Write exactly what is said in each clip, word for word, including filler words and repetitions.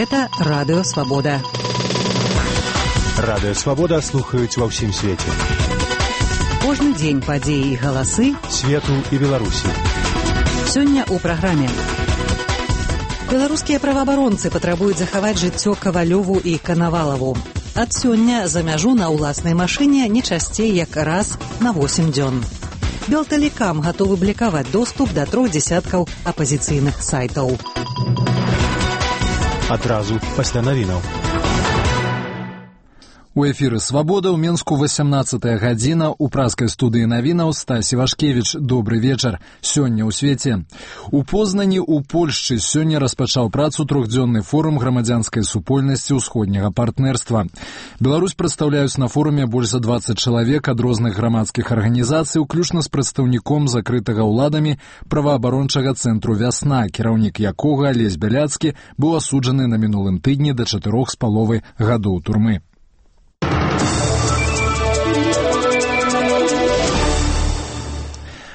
Гэта Радыё Свабода. Радыё Свабода слухаюць ва ўсім свеце. Кожны дзень падзеі і галасы свету і Беларусі. Сёння ў праграме. Беларускія праваабаронцы патрабуюць захаваць жыццё Кавалёву і Канавалаву. Ад сёння за мяжу на ўласнай машыне не часцей як раз на восем дзён. Белтэлекам гатовы блакаваць доступ да трох дзесяткаў апазіцыйных сайтаў. Адразу пасля навінаў. У эфіры «Свабода» ў Менску васямнаццатая гадзіна, у праскай студыі навінаў Стась Івашкевіч. Добры вечар. Сёння ў свеце. У Познані ў Польшчы сёння распачаў працу трохдзённы форум грамадзянскай супольнасці ўсходняга партнерства. Беларусь прадстаўляюць на форуме больш за дваццаць чалавек ад розных грамадскіх арганізацый, уключна з прадстаўніком закрытага ўладамі праваабарончага цэнтру «Вясна», кіраўнік якога Алесь Бяляцкі быў асуджаны на мінулым тыдні да чатырох з паловай гадоў турмы.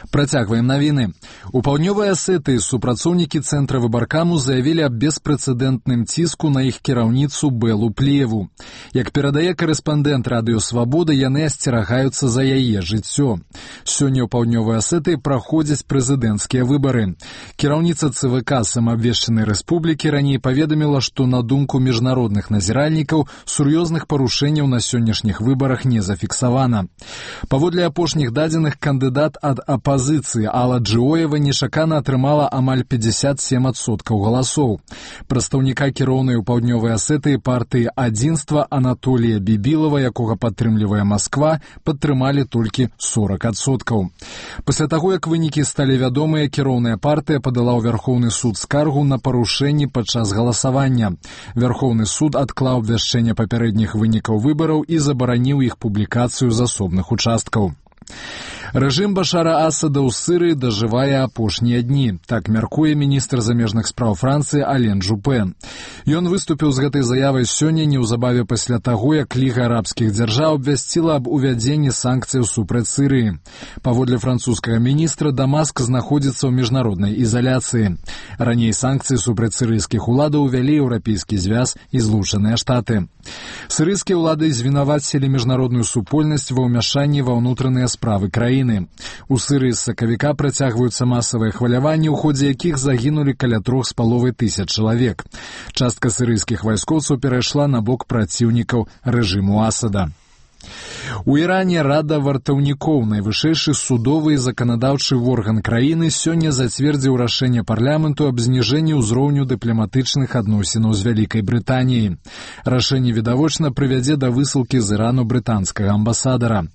Працягваем навіны. У паўднёвай Асетыі супрацоўнікі цэнтра выбаркаму заявілі аб беспрэцэдэнтным ціску на іх кіраўніцу Бэлу Плеву. Як перадае карэспандэнт Радыё Свабода, яны асцерагаюцца за яе жыццё. Сёння ў паўднёвай Асетыі праходзяць прэзідэнцкія выбары. Кіраўніца ЦВК самаабвешчанай рэспублікі раней паведаміла, што на думку міжнародных назіральнікаў сур'ёзных парушэнняў на сённяшніх выбарах не зафіксавана. Паводле апошніх дадзеных, кандыдат ад апазіцыі Алла Джиоева нечакана атрымала амаль пятьдесят семь адсоткаў галасоў. Прадстаўніка кіроўнай у паўднёвай Асетыі партыі «Адзінства» Анатолія Бібілава, якога падтрымлівае Масква, падтрымалі толькі сорок адсоткаў. Пасля таго, як вынікі сталі вядомыя, кіроўная партыя падала ў Вярхоўны суд скаргу на парушэнні падчас галасавання. Вярхоўны суд адклаў абвяшчэнне папярэдніх вынікаў выбараў і забараніў іх публікацыю з асобных участкаў. Рэжым Башара Асада ў Сырыі дажывае апошнія дні. Так мяркуе міністр замежных спраў Францыі Ален Жупе. Ён выступіў з гэтай заявай сёння неўзабаве пасля таго, як Ліга арабскіх дзяржаў абвясціла аб увядзенні санкцыяў супраць Сырыі. Паводле французскага міністра, Дамаск знаходзіцца ў міжнароднай ізаляцыі. Раней санкцыі супраць сырыйскіх уладаў увялі Еўрапейскі звяз і Злучаныя Штаты. Сырыйскія ўлады звінавацілі міжнародную супольнасць ва ўмяшанні ва ўнутраныя справы краіны. У Сырыі з сакавіка працягваюцца масавыя хваляванні, у ходзе якіх загінулі каля трох з паловай тысяч чалавек. Частка сырыйскіх вайскоўцаў перайшла на бок праціўнікаў рэжыму Асада. У Іране Рада вартаўнікоў, найвышэйшы судовы і заканадаўчы орган краіны, сёння зацвердзіў рашэнне парламенту аб зніжэнні ўзроўню дыпламатычных адносінаў з Вялікай Брытаніяй. Рашэнне відавочна прывядзе да высылкі з Ірану брытанскага амбасадара.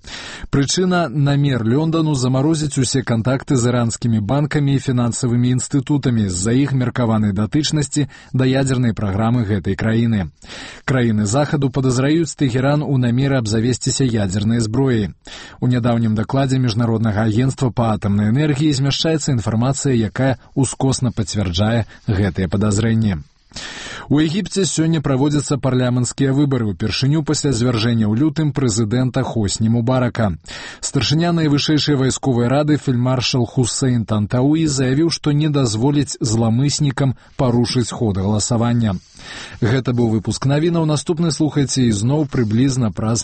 Прычына — намер Лёндану замарозіць усе кантакты з іранскімі банкамі і фінансавымі інстытутамі з-за іх меркаванай датычнасці да ядзернай праграмы гэтай краіны. Краіны захаду падазраюць Тэхеран у намеры абзавесціся ядзернай зброяй. У нядаўнім дакладзе Міжнароднага агенцтва па атамнай энергіі змяшчаецца інфармацыя, якая ускосна пацвярджае гэтыя падазрэнні. У Егіпце сёння праводзяцца парламенцкія выбары, упершыню пасля звяржэння ў лютым прэзідэнта Хосні Мубарака. Старшыня найвышэйшай вайсковай рады фельдмаршал Хусейн Тантауі заявіў, што не дазволіць зламыснікам парушыць ход галасавання. Гэта быў выпуск навінаў. Наступны слухайце ізноў прыблізна праз